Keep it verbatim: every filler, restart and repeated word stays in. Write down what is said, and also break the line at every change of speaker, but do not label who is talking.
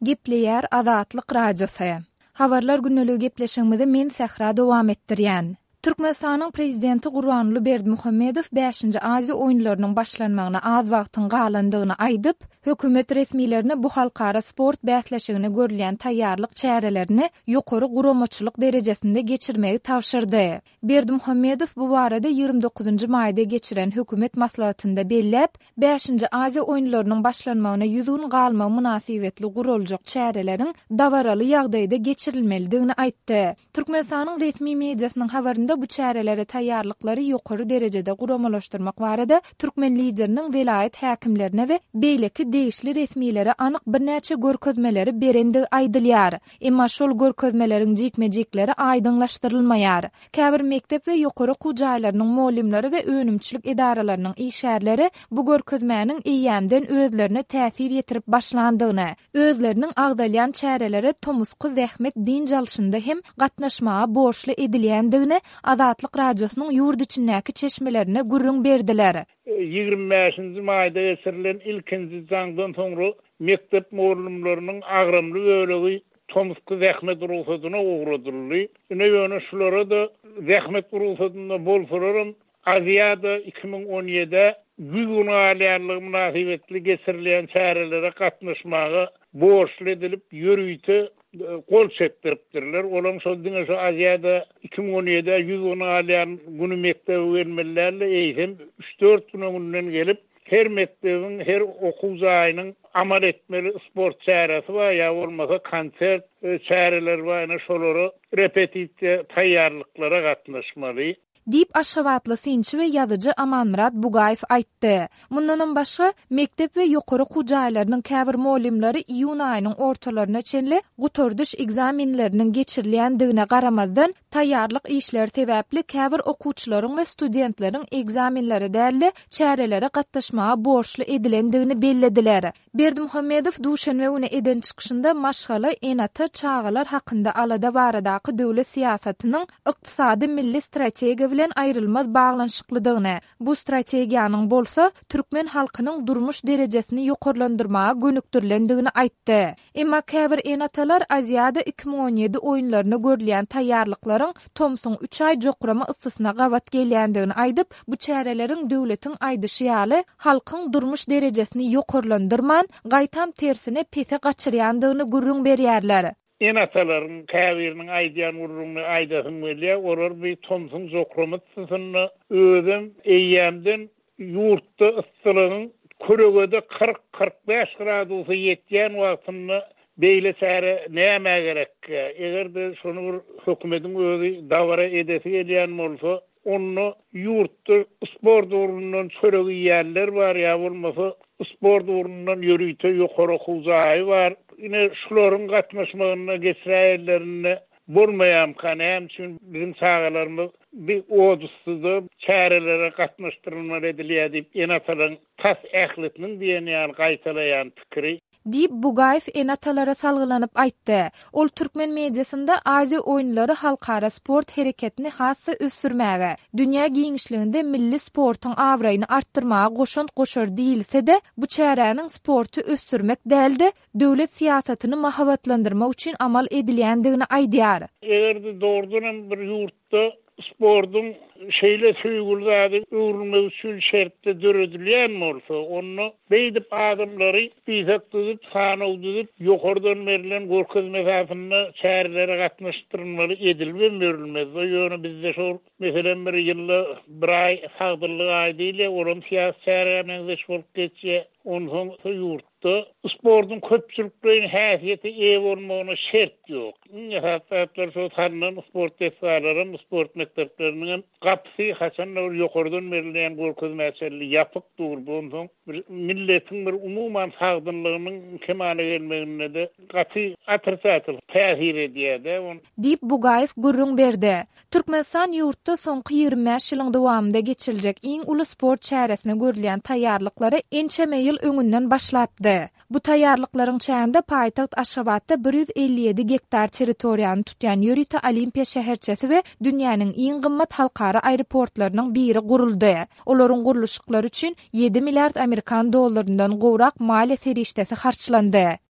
Gepleýär Azatlyk Radiosy. Habarlar gündeligi gepleşigimizi men Sähra dowam etdirýän. Türkmenistanyň Prezidenti Gurbanguly Berdimuhamedow bäşinji Aziýa oýunlarynyň başlanmagyna az wagtyň galandygyny aýdyp, hökümet resmilerine bu halkara sport bäsleşigine görülýän taýýarlyk çärelerini ýokary guramaçylyk derejesinde geçirmegi tabşyrdy. Berdimuhamedow bu barada ýigrimi dokuzynjy maýda geçiren hökümet maslahatynda belläp, Bäşinji Aziýa oýunlarynyň başlanmagyna ýüz gün galmagy mynasybetli guraljak çäreleriň dabaraly ýagdaýda geçirilmelidigini aýtdy. Türkmenistanyň resmi mediasynyň habarynda bu çärelere taýýarlyklary ýokary derejede guramalaşdyrmak barada türkmen Lideriniň welaýat häkimlerine we beýleki degişli resmilere anyk birnäçe görkezmeleri berendigi aýdylýar. Emma şol görkezmeleriň jikme-jikleri aýdyňlaşdyrylmaýar. Käbir mekdep we ýokary okuw jaýlarynyň mugallymlary we önümçilik edaralarynyň işgärleri bu görkezmäniň eýýämden özlerine täsir ýetirip başlandygyny, özleriniň agzalýan çärelere tomusky zähmet dynç alşynda hem gatnaşmaga borçly edilýändigini Azatlyk Radiosynyň ýurt içindäki çeşmelerine gürrüň berdiler.
Ýigrimi bäşinji maýda geçirilen ilkinji jaňdan soňra mekdep mugallymlarynyň agramly bölegi tomusky zähmet rugsadyna ugradyldy. Ine ýöne şulara-da zähmet rugsadynda bolsalaram Aziada iki müň on ýedä ýüz gün galýanlygy mynasybetli geçirilýän çärelere gatnaşmaga borçly edilip, ýörite gol çekdiripdirler. Olam şol diňe şu Aziada iki müň on ýedä ýüz gün galýan güni mekdebe gelmeli däl-de, eýsem üç-dört gün öňünden gelip, her mekdebiň, her okuw jaýynyň amal etmeli sport çäresi bar, ýa bolmasa konsert çäreleri bar, ine şolara repetisiýa taýýarlyklara gatnaşmaly.
Diýip, aşgabatly synçy we ýazyjy Amanmyrat Bugaýew aýtdy. Mundanam başga, mekdep we ýokary okuw jaýlarynyň käbir mugallymlary iýun aýynyň ortalaryna çenli gutardyş ekzamenleriniň geçirilýändigine garamazdan, taýýarlyk işleri sebäpli käbir okuwçylaryň we studentleriň ekzamenlere däl-de, çärelere gatnaşmaga borçly edilendigini bellediler. Berdimuhamedow duşenbe güni eden çykyşynda maşgala, ene-ata, çagalar hakynda alada baradaky döwlet syýasatynyň ykdysady milli strategiýa bilen aýrylmaz baglanyşyklydygyny, bu strategiýanyň bolsa türkmen halkynyň durmuş derejesini ýokarlandyrmaga gönükdirilendigini aýtdy. Emma käbir ene-atalar Aziada iki müň on ýedi oýunlaryna görülýän taýýarlyklaryň tomsuň üç aý jokrama yssysyna gabat gelýändigini aýdyp, bu çäreleriň döwletiň aýdyşy ýaly, halkyň durmuş derejesini ýokarlandyrman, gaýtam tersine pese gaçyrýandygyny gürrüň berýärler.
Ene-atalaryň käbiriniň aýdýan gürrüňini aýdasym gelýär, olar bir tomsuň jokrama yssysynda özem eýýämden ýurtda yssylygyň kölegede kyrk-kyrk bäş gradusa ýetýän wagtynda beýle çäre nämä gerekkä? Eger-de şony bir hökümetiň özi dabara edesi gelýän bolsa, onda ýurtda sport ugrundan çörek iýýänler bar, ýa bolmasa sport ugrundan ýörite ýokary okuw jaýy bar. Ine şularyň gatnaşmagynda geçiräýenlerinde bolmaýamka, näme üçin biziň çagalarymyz bir odussyzda çärelere gatnaşdyrylmaly edilýär diýip ene-atalaryň tas ählisiniň diýen ýaly gaýtalaýan pikiri.
Diýip, Bugaýew ene-atalara salgylanyp aýtdy. Ol türkmen mediasynda Aziýa oýunlary halkara sport hereketini has-da ösdürmäge, dünýä giňişliginde milli sportuň abraýyny artdyrmaga goşant goşar diýilse-de, bu çäräniň sporty ösdürmek däl-de, döwlet syýasatyny mahabatlandyrmak üçin amal edilýändigini aýdýar.
Eger-de dogrudanam bir ýurtda sportuň şeýle söýgüli zady öwrülmegi üçin şertde döredilýän bolsa, onda beýdip adamlary diýsek düzüp, sanaw düzüp, ýokardan berlen görkezme esasynda çärelere gatnaşdyrylmaly edilip berilmez. Ýöne bizde şol meselem bir ýylda bir aý sagdynlyk aýy diýilýär, olam syýasy çärä meňzeş bolup geçýär. Onsoň ýurtda sportuň köpçülikleýin häsiýete eýe bolmagyna şert ýok. Iň esasy zatlar şol salnan sport desgalaram, sport mekdepleriniň hem gapysy haçanda bir ýokardan berilýän görkezmä çenli ýapyk dur. Onsoň bir milletiň bir umuman sagdynlygynyň kemala gelmeginde-de gaty otrisatel täsir edýär-de.
Diýip, Bugaýew gürrüň berdi. Türkmenistan ýurtda soňky ýigrimi bäş ýylyň dowamynda geçiriljek iň uly sport çäresine görülýän taýýarlyklara ençeme ýyl öňünden başlapdy. Bu taýýarlyklaryň çäginde paýtagt Aşgabatda bir ýüz elli ýedi gektar territoriýany tutýan ýörite Olimpiýa şäherçesi we dünýäniň iň gymmat halkara aeroportlarynyň biri guruldy. Olaryň gurluşyklary üçin ýedi milliard amerikan dollaryndan gowrak maliýe serişdesi harçlandy.